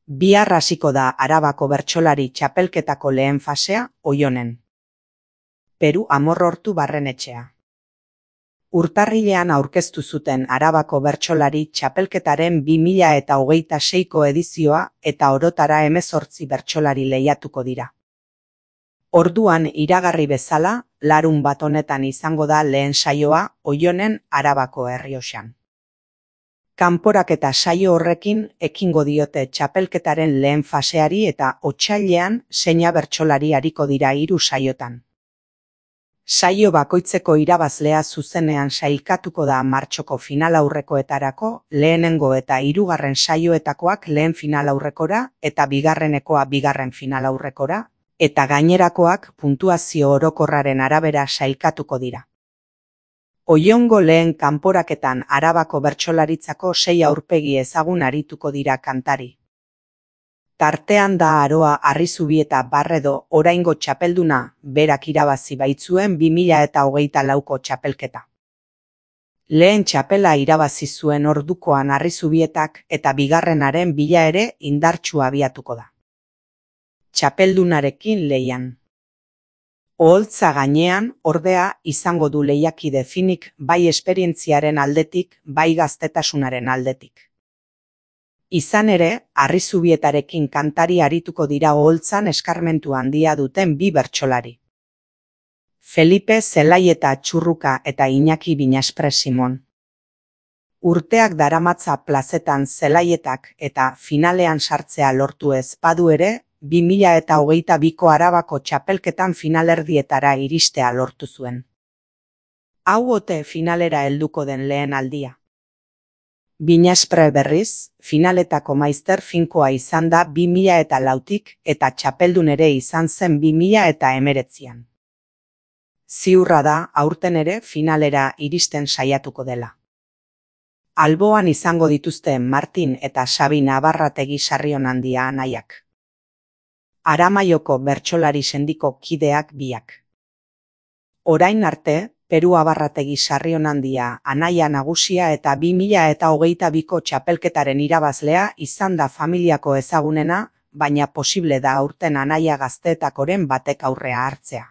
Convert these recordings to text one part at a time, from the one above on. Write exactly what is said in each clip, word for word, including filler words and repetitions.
Bihar hasiko da Arabako bertsolari txapelketako lehen fasea Oionen. Peru Amorrortu Barrenetxea. Urtarrilean aurkeztu zuten Arabako bertsolari txapelketaren bi mila eta hogeita seiko edizioa eta orotara hemezortzi bertsolari lehiatuko dira. Orduan iragarri bezala, larun bat honetan izango da lehen saioa Oionen Arabako Errioxan. Kanporaketa saio horrekin ekingo diote txapelketaren lehen faseari eta otsailean seina bertsolari ariko dira hiru saiotan. Saio bakoitzeko irabazlea zuzenean sailkatuko da martxoko finalaurrekoetarako, lehenengo eta hirugarren saioetakoak lehen finalaurrekora eta bigarrenekoa bigarren finalaurrekora, eta gainerakoak puntuazio orokorraren arabera sailkatuko dira. Oiongo lehen kanporaketan Arabako bertsolaritzako sei aurpegi ezagun arituko dira kantari. Tartean da Aroa Arrizubieta Barredo oraingo txapelduna, berak irabazi baitzuen bi mila eta hogeita lauko txapelketa. Lehen txapela irabazi zuen ordukoan Arrizubietak eta bigarrenaren bila ere indartsu abiatuko da. Txapeldunarekin lehian. Oholtza gainean, ordea, izango du lehiakide finik bai esperientziaren aldetik, bai gaztetasunaren aldetik. Izan ere, Arrizubietarekin kantari arituko dira oholtzan eskarmentu handia duten bi bertsolari. Felipe Zelaieta Txurruka eta Iñaki Binaspre Simon. Urteak daramatza plazetan Zelaietak eta finalean sartzea lortu ez badu ere, bi mila eta hogeita biko Arabako txapelketan finalerdietara iristea lortu zuen. Hau ote finalera helduko den lehen aldia. Binaspre berriz, finaletako maizter finkoa izan da bi mila eta lautik eta txapeldun ere izan zen bi mila eta hemeretzian. Ziurra da aurten ere finalera iristen saiatuko dela. Alboan izango dituzte Martin eta Xabi Nabarrategi Sarrionandia anaiak. Aramaioko bertsolari sendiko kideak biak. Orain arte, Peru Abarrategi Sarrionandia anaia nagusia eta bi mila eta hogeita biko txapelketaren irabazlea izan da familiako ezagunena, baina posible da aurten anaia gazteetakoren batek aurrea hartzea.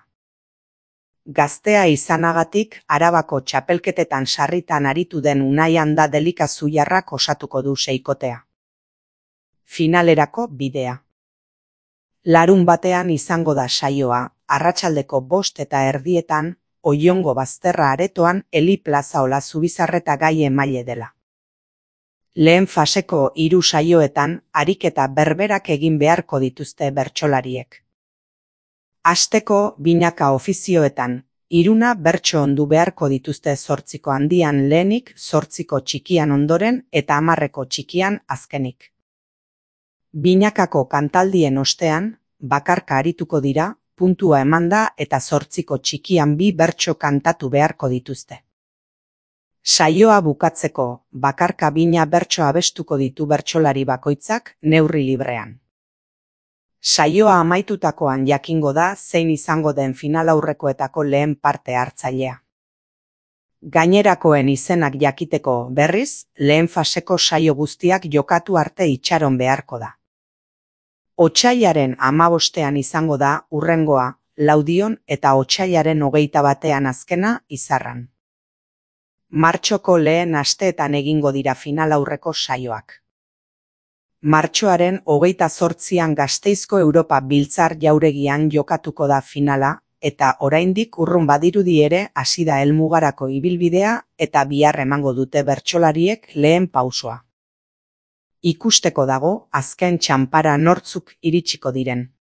Gaztea izanagatik, Arabako txapelketetan sarritan aritu den Unai Anda Delikazuiarrak osatuko du seikotea. Finalerako bidea. Larun batean izango da saioa, arratsaldeko bost eta erdietan, Oiongo bazterra aretoan Eli Plaza Olazubizarreta gai emaile dela. Lehen faseko hiru saioetan, ariketa berberak egin beharko dituzte bertsolariek. Hasteko binaka ofizioetan, hiruna bertso ondu beharko dituzte zortziko handian lehenik, zortziko txikian ondoren eta hamarreko txikian azkenik. Binakako kantaldien ostean, bakarka arituko dira, puntua emanda eta zortziko txikian bi bertso kantatu beharko dituzte. Saioa bukatzeko, bakarka bina bertso abestuko ditu bertsolari bakoitzak neurri librean. Saioa amaitutakoan jakingo da zein izango den finalaurrekoetako lehen parte hartzailea. Gainerakoen izenak jakiteko berriz, lehen faseko saio guztiak jokatu arte itxaron beharko da. Otsailaren hamabostean izango da hurrengoa, Laudion eta otsailaren hogeita batean azkena Izarran. Martxoko lehen asteetan egingo dira finalaurreko saioak. Martxoaren hogeita zortzian Gasteizko Europa Biltzar Jauregian jokatuko da finala, eta oraindik urrun badirudi ere hasi da helmugarako ibilbidea eta bihar emango dute bertsolariek lehen pausoa. Ikusteko dago azken txanpara nortzuk iritsiko diren.